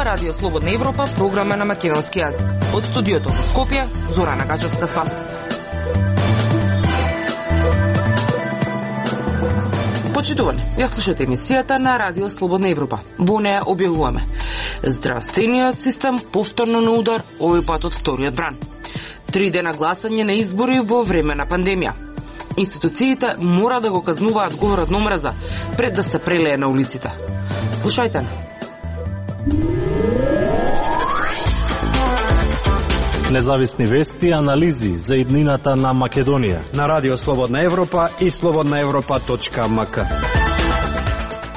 Радио Слободна Европа, програма на македонски јазик. Од студиото во Скопје, Зорана Гачевска-Спасовска. Почитувани, ја слушате емисијата на Радио Слободна Европа. Во неја објавуваме: здравствениот систем повторно на удар, овој пат од вториот бран. 3 дена гласање на избори во време на пандемија. Институциите мора да го казнуваат говорот на омраза пред да се прелее на улиците. Слушајте. Независни вести и анализи за иднината на Македонија на Радио Слободна Европа и slobodnaevropa.mk.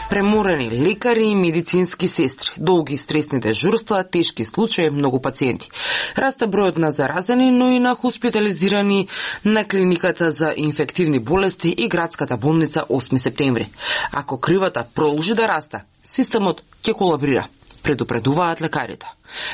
Преморени лекари и медицински сестри, долги стресни дежурства, тешки случаи, многу пациенти. Расте бројот на заразени, но и на хоспитализирани на клиниката за инфективни болести и градската болница 8 септември. Ако кривата продолжи да расте, системот ќе колабрира, предупредуваат лекарите.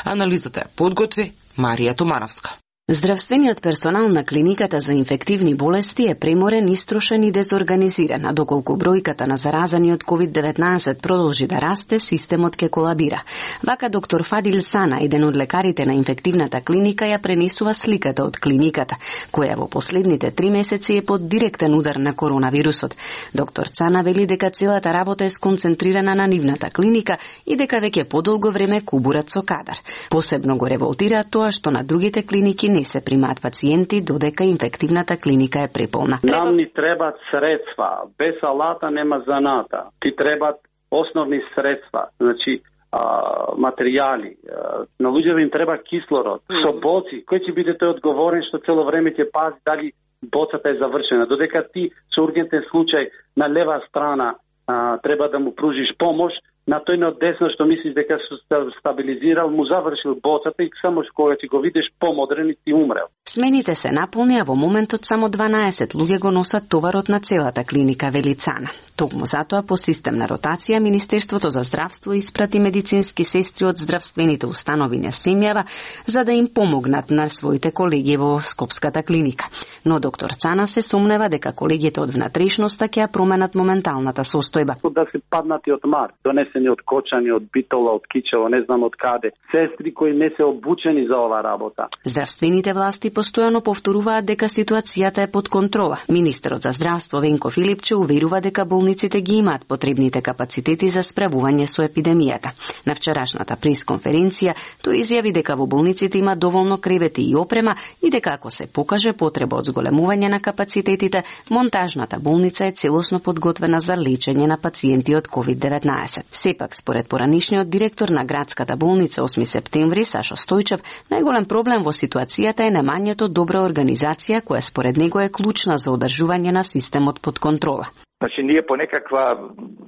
Анализата ја подготви Марија Томановска. Здравствениот персонал на клиниката за инфективни болести е преморен, истрошен и дезорганизиран, а доколку бројката на заразани од COVID-19 продолжи да расте, системот ќе колабира. Вака доктор Фадил Сана, еден од лекарите на инфективната клиника, ја пренесува сликата од клиниката, која во последните 3 месеци е под директен удар на коронавирусот. Доктор Сана вели дека целата работа е сконцентрирана на нивната клиника и дека веќе подолго време кубурат со кадар. Посебно го револтира тоа што на другите клиники не се примаат пациенти додека инфективната клиника е преполна. Нам ни требаат средства, без алата нема заната. Ти требаат основни средства, значи материјали. На луѓето им треба кислород, со боци. Кој ќе биде тој одговорен што цело време ќе пази дали боцата е завршена? Додека ти со ургентен случај на лева страна треба да му пружиш помош, на тој на десно што мислиш дека се стабилизирал, му завршил боцата и само кога ти го видиш помодрен и ти умрел. Смените се наполни, а во моментот само 12 луѓе го носат товарот на целата клиника, вели Цана. Токму затоа по системна ротација Министерството за здравство испрати медицински сестри од здравствените установи на земјава за да им помогнат на своите колеги во Скопската клиника. Но доктор Цана се сомнева дека колегите од внатрешноста ќе ја променат моменталната состојба. Да се паднати од мар, донесени од Кочани, од Битола, од Кичево, не знам од каде. Сестри кои не се обучени за ова работа. Здравствените власти постојано повторуваат дека ситуацијата е под контрола. Министерот за здравство Венко Филипче уверува дека болниците ги имаат потребните капацитети за справување со епидемијата. На вчерашната пресконференција тој изјави дека во болниците има доволно кревети и опрема и дека ако се покаже потреба од зголемување на капацитетите, монтажната болница е целосно подготвена за лечење на пациенти од COVID-19. Сепак, според поранишниот директор на градската болница 8 септември Сашо Стојчев, најголем проблем во ситуацијата е немањето добра организација која според него е клучна за одржување на системот под контрола. Значи, ние по некаква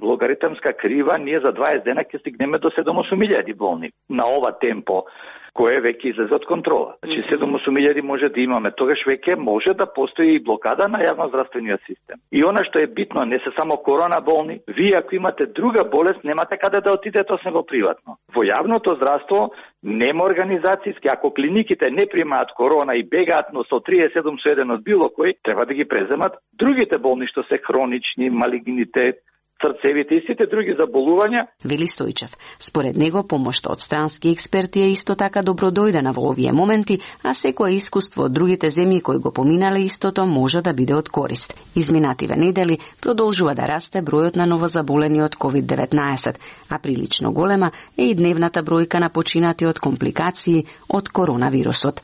логаритмска крива, ние за 20 дена ќе стигнеме до 7.000 болни на ова темпо, кое веќе излезе од контрола. Значи 7.000 може да имаме, тогаш веќе може да постои и блокада на јавноздравствениот систем. И она што е битно, не се само корона болни, вие ако имате друга болест, немате каде да отидете освен во приватно. Во јавното здравство нема организацијски, ако клиниките не примаат корона и бегаат но со 37 со 1 од било кој, треба да ги преземат другите болни што се хронични, малигнитет, срцевите и сите други заболувања. Вели Стојчев. Според него, помошта од странски експерти е исто така добродојдена во овие моменти, а секое искуство од другите земји кои го поминале истото може да биде од корист. Изминативе недели продолжува да расте бројот на новозаболени од COVID-19, а прилично голема е и дневната бројка на починати од компликации од коронавирусот.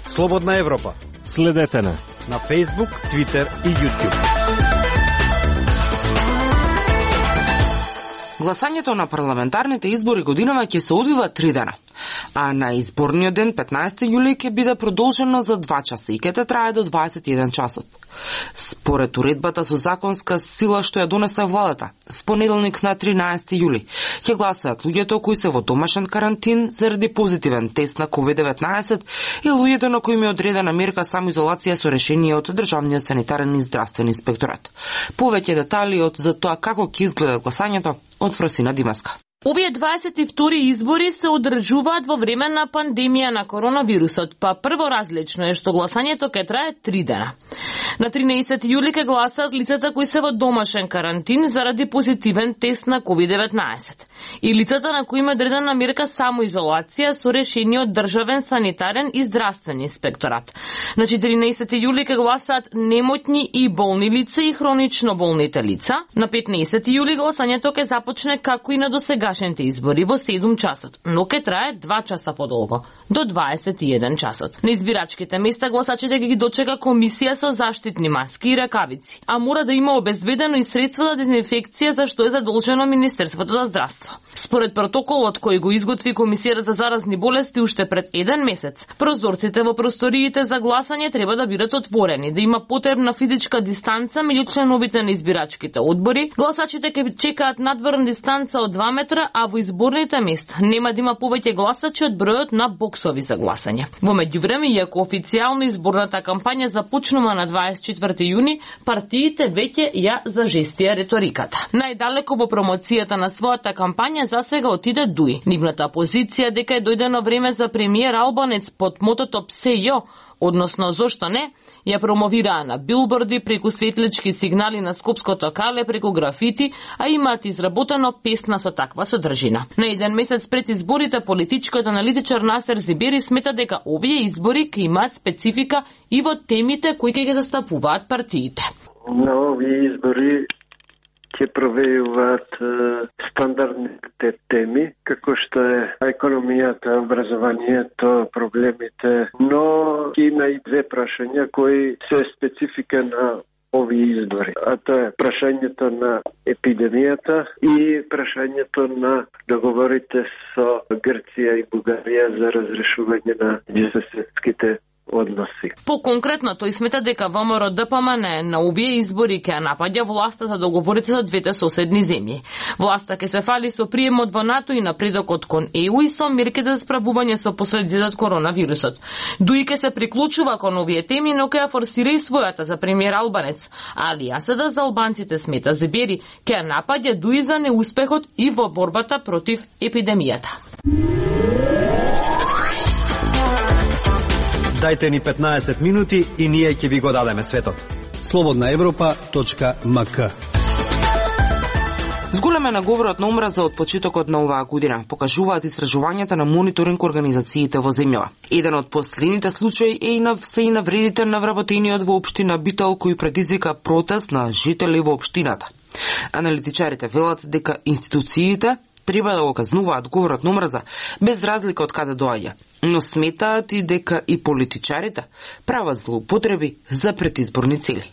Слободна Европа. Следете на Facebook, Twitter и YouTube. Гласањето на парламентарните избори годинава ќе се одвива 3 дена, а на изборниот ден 15 јули ќе биде продолжено за 2 часа и ќе трае до 21 часот. Според уредбата со законска сила што ја донесе владата, в понеделник на 13 јули ќе гласаат луѓето кои се во домашен карантин заради позитивен тест на COVID-19 и луѓето на кои им е одредена мерка самоизолација со решение од Државниот санитарен и здравствен инспекторат. Повеќе детали за тоа како ќе изгледа гласањето од Фросина Димаска. Овие 22 избори се одржуваат во време на пандемија на коронавирусот, па прво различно е што гласањето ќе трае 3 дена. На 13 јули ќе гласаат лицата кои се во домашен карантин заради позитивен тест на COVID-19 и лицата на кои има одредена мерка самоизолација со решение од државен санитарен и здравствен инспекторат. На 14 јули ќе гласаат немотни и болни лица и хронично болните лица. На 15 јули гласањето ќе започне како и на досегашните избори во 7 часот, но ќе трае 2 часа подолго, до 21 часот. На избирачките места гласачите ги дочека комисија со заштитни маски и ракавици, а мора да има обезбедено и средство за дезинфекција за што е задолжено Министерството за здравство. Според протоколот кој го изготви Комисијата за заразни болести уште пред 1 месец, прозорците во просториите за гласање треба да бидат отворени, да има потребна физичка дистанца меѓу членовите на избирачките одбори, гласачите ќе чекаат надворна дистанца од 2 метра, а во изборните места нема да има повеќе гласачи од бројот на боксови за гласање. Во меѓувреме, иако официјално изборната кампања започнува на 24 јуни, партиите веќе ја зажестија реториката. Најдалеко во промоцијата на својата кампања засега отиде ДУИ. Нивната позиција дека е дојдено време за премиер Албанец под мотото "Псе јо", односно зошто не, ја промовираа на билборди, преку светлички сигнали на Скопското кале, преку графити, а имаат изработено песна со таква содржина. На 1 месец пред изборите, политичкиот аналитичар Насер Зибери смета дека овие избори ќе имаат специфика и во темите кои ќе ги застапуваат партиите. На овие избори ќе провејуваат стандардните теми, како што е економијата, образованието, проблемите, но има и 2 прашања кои се специфика на овие избори. А тоа е прашањето на епидемијата и прашањето на договорите со Грција и Бугарија за разрешување на меѓусоседските односи. По-конкретно, тој смета дека ВМРО ДПМН на овие избори ќе напаѓа власта за договорите со двете соседни земји. Власта ќе се фали со приемот во НАТО и напредокот кон ЕУ и со мерките за справување со последиците од коронавирусот. ДУИ ќе се приклучува кон овие теми, но ќе ја форсира и својата за премиер Албанец. Алијансата за албанците, смета Зибери, ќе ја напаѓа ДУИ за неуспехот и во борбата против епидемијата. Дајте ни 15 минути и ние ќе ви го дадеме светот. slobodnaevropa.mk. Зголемен е говорот на омраза од почетокот на оваа година, покажуваат истражувањата на мониторинг организациите во земјава. Еден од последните случаи е и и навредите на вработениот во општина Битол кој предизвика протест на жители во општината. Аналитичарите велат дека институциите треба да го казнуваат говорот на омраза без разлика од каде доаѓа, но сметаат и дека и политичарите прават злоупотреби за предизборни цели.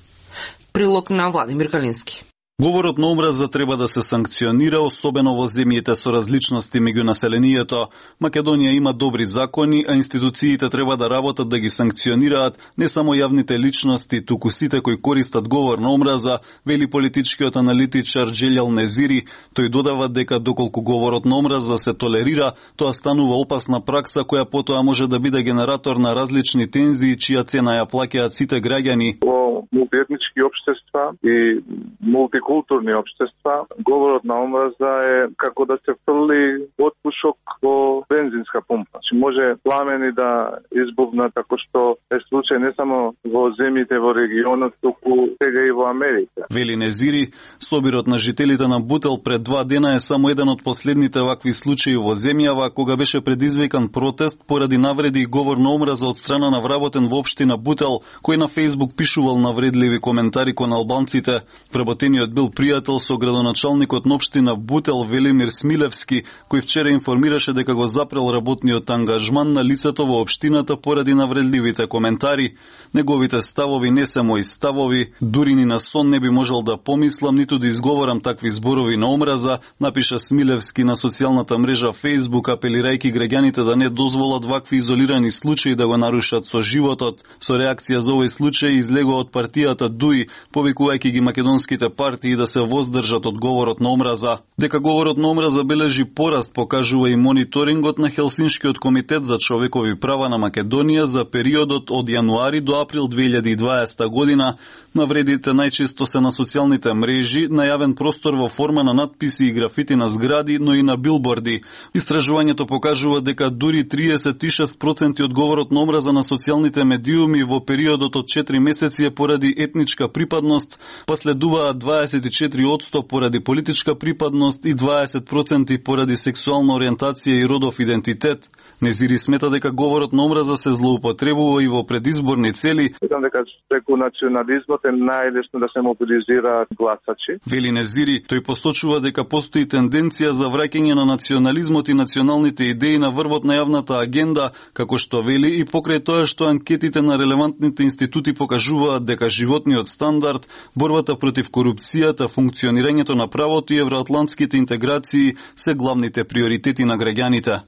Прилог на Владимир Калински. Говорот на омраза треба да се санкционира, особено во земјите со различности меѓу населението. Македонија има добри закони, а институциите треба да работат да ги санкционираат не само јавните личности, туку сите кои користат говор на омраза, вели политичкиот аналитичар Джелјал Незири. Тој додава дека доколку говорот на омраза се толерира, тоа станува опасна пракса која потоа може да биде генератор на различни тензии, чија цена ја плаќаат сите граѓани. Во мултиетнички општества и мултикултурни општества, говорот на омраза е како да се фрли отпушок во бензинска пумпа. Може пламени да избухнат, како што е случај не само во земјите во регионот, туку сега и во Америка. Вели Незири, собирот на жителите на Бутел пред 2 дена е само еден од последните вакви случаи во земјава, кога беше предизвикан протест поради навреди и говор на омраза од страна на вработен во општина Бутел, кој на Фејсбук пишувал навредливи коментари кон албанците. Вработениот бил пријател со градоначалникот на општина Бутел Велимир Смилевски, кој вчера информираше дека го запрел работниот ангажман на лицето во општината поради навредливите коментари. Неговите ставови не се мои ставови, дури ни на сон не би можел да помислам ниту да изговорам такви зборови на омраза, напиша Смилевски на социјалната мрежа Facebook, апелирајќи граѓаните да не дозволат вакви изолирани случаи да го нарушат со животот. Со реакција за овој случај излегува од од партијата ДУИ, повикувајќи ги македонските партии да се воздржат од говорот на омраза. Дека говорот на омраза бележи пораст покажува и мониторингот на Хелсиншкиот комитет за човекови права на Македонија за периодот од јануари до април 2020 година. Навредите најчесто се на социјалните мрежи, на јавен простор во форма на надписи и графити на згради, но и на билборди. Истражувањето покажува дека дури 36% од говорот на омраза на социјалните медиуми во периодот од 4 месеци е поради етничка припадност, па следуваат 24% поради политичка припадност и 20% поради сексуална ориентација и родов идентитет. Незири смета дека говорот на омраза се злоупотребува и во предизборни цели. Мислам дека преку национализмот е најлесно да се мобилизираат гласачи. Вели Незири, тој посочува дека постои тенденција за враќање на национализмот и националните идеи на врвот на јавната агенда, како што вели и покрај тоа што анкетите на релевантните институти покажуваат дека животниот стандард, борбата против корупцијата, функционирањето на правото и евроатлантските интеграции се главните приоритети на граѓаните.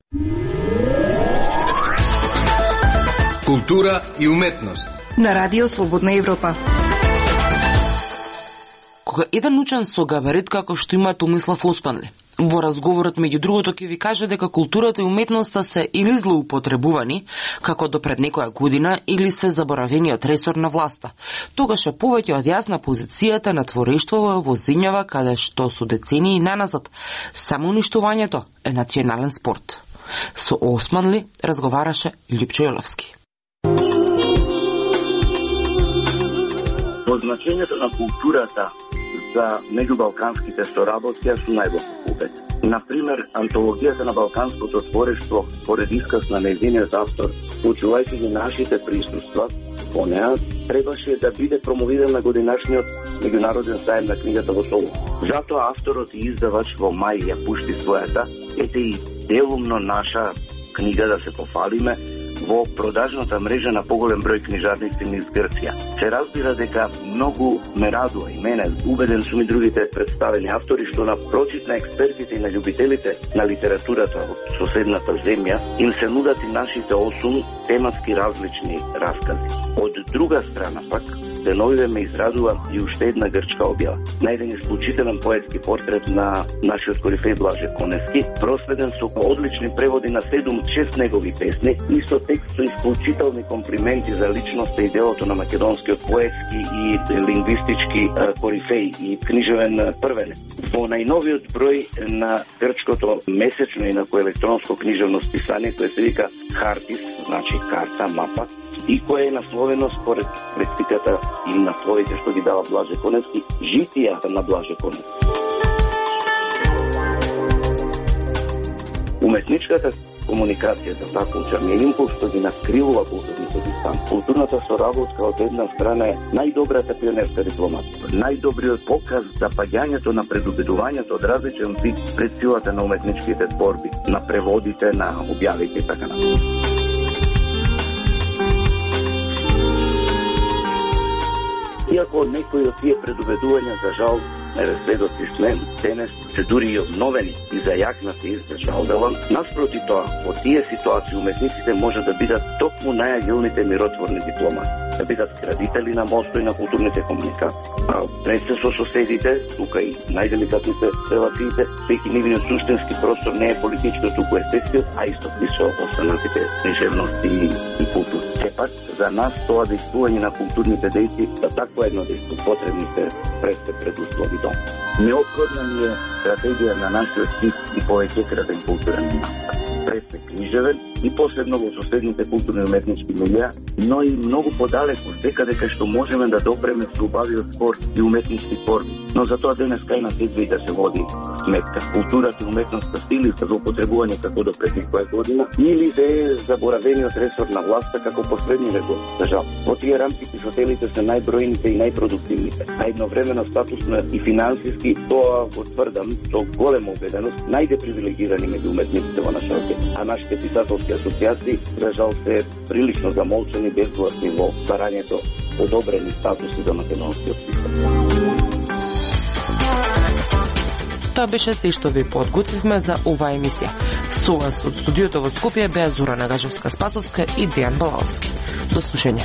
Култура и уметност на Радио Слободна Европа. Кога еден учен со габарит како што има Томислав Оспанли во разговорот меѓу другото ќе ви каже дека културата и уметноста се или злоупотребувани, како до пред некоја година, или се заборавени од ресор на власта. Тогаш е повеќе од јасна позицијата на творештво во земјава каде што со децении наназад само уништувањето е национален спорт. Со Османли разговараше Лјупчо Јоловски. Значењето на културата за меѓубалканските соработки су најдобро. Например, антологијата на балканското творештво според исказ на нејзиниот автор, учувајќи ги нашите присуства по неа, требаше да биде промовиран на годинашниот меѓународен сајм на книгата во Солун. Затоа авторот и издавач во мај ја пушти својата, ете и делумно наша книга да се пофалиме, во продажната мрежа на поголем број книжарници низ Грција. Се разбира дека многу ме радува и мене, убеден сум и другите представени автори, што на прочит на експертите и на љубителите на литературата од соседната земја им се нудат и нашите 8 тематски различни раскази. Од друга страна пак, деновиве ме израдува и уште една грчка објава. На еден исклучителен поетски портрет на нашиот корифеј Блаже Коневски, проследен со одлични преводи на 7-6 негови песни и со текст со исклучителни комплименти за личноста и делото на македонскиот поетски и лингвистички корифеј и книжевен првенец. Во најновиот број на грчкото месечно и инако електронско книжевно списание, кое се вика Хартис, значи карта, мапа, и кое е насловено според лексиката и насловите што ги дава Блаже Коневски, житијата на Блаже Коневски. Уметничката комуникацијата така учарниот импулс што ги наскривува културните дистанци. Културната соработка од една страна е најдобрата пионерска дипломатија, најдобриот показ за паѓањето на предубедувањето од различен вид пред силата на уметничките творби, на преводите, на објавите и така натаму. Иако некои од тие предубедувања за жал сведоци сме, денес се дури и обновени и зајакнати издржал делам, наспроти тоа, во тие ситуации уметниците може да бидат токму најагилните миротворни дипломати, да бидат градители на мостови на културните комуникации. Пред се со соседите, тука и најделикатните релациите, веќе нивниот суштински простор не е политичко, туку естетскиот, а исто и со останатите книжевности и култури. Сепак, за нас тоа действување на културните дејци, за такво едно дејство потребните предуслови. Неопходна ни е стратегија на нашиот стих и повеќекратен културен настав. Пред книжевен и посебно во соседните културни и уметнички милија, но и многу подалеку, дека што можеме да допреме со убавиот спорт и уметнички творби. Но за тоа денес кај нас идва и да се води сметка. Културата и уметноста стили за употребување како до пред некоја година или да е заборавениот ресор на власта како последни векот. За жал, во тие рамки писателите се најбројните и најпродуктивните, а едновремено статусно и финансиски, тоа го тврдам со голема убеденост, најдепривилегирани меѓу уметниците во нашата, а нашите писателски асоциации, за жал, се прилично замолчени безгласни во барањето одобрени статуси за македонскиот писател. Тоа беше се што ви подготвивме за оваа емисија. Со вас од студиото во Скопје беа Зора Нагажевска-Спасовска и Дејан Балаовски. До слушање.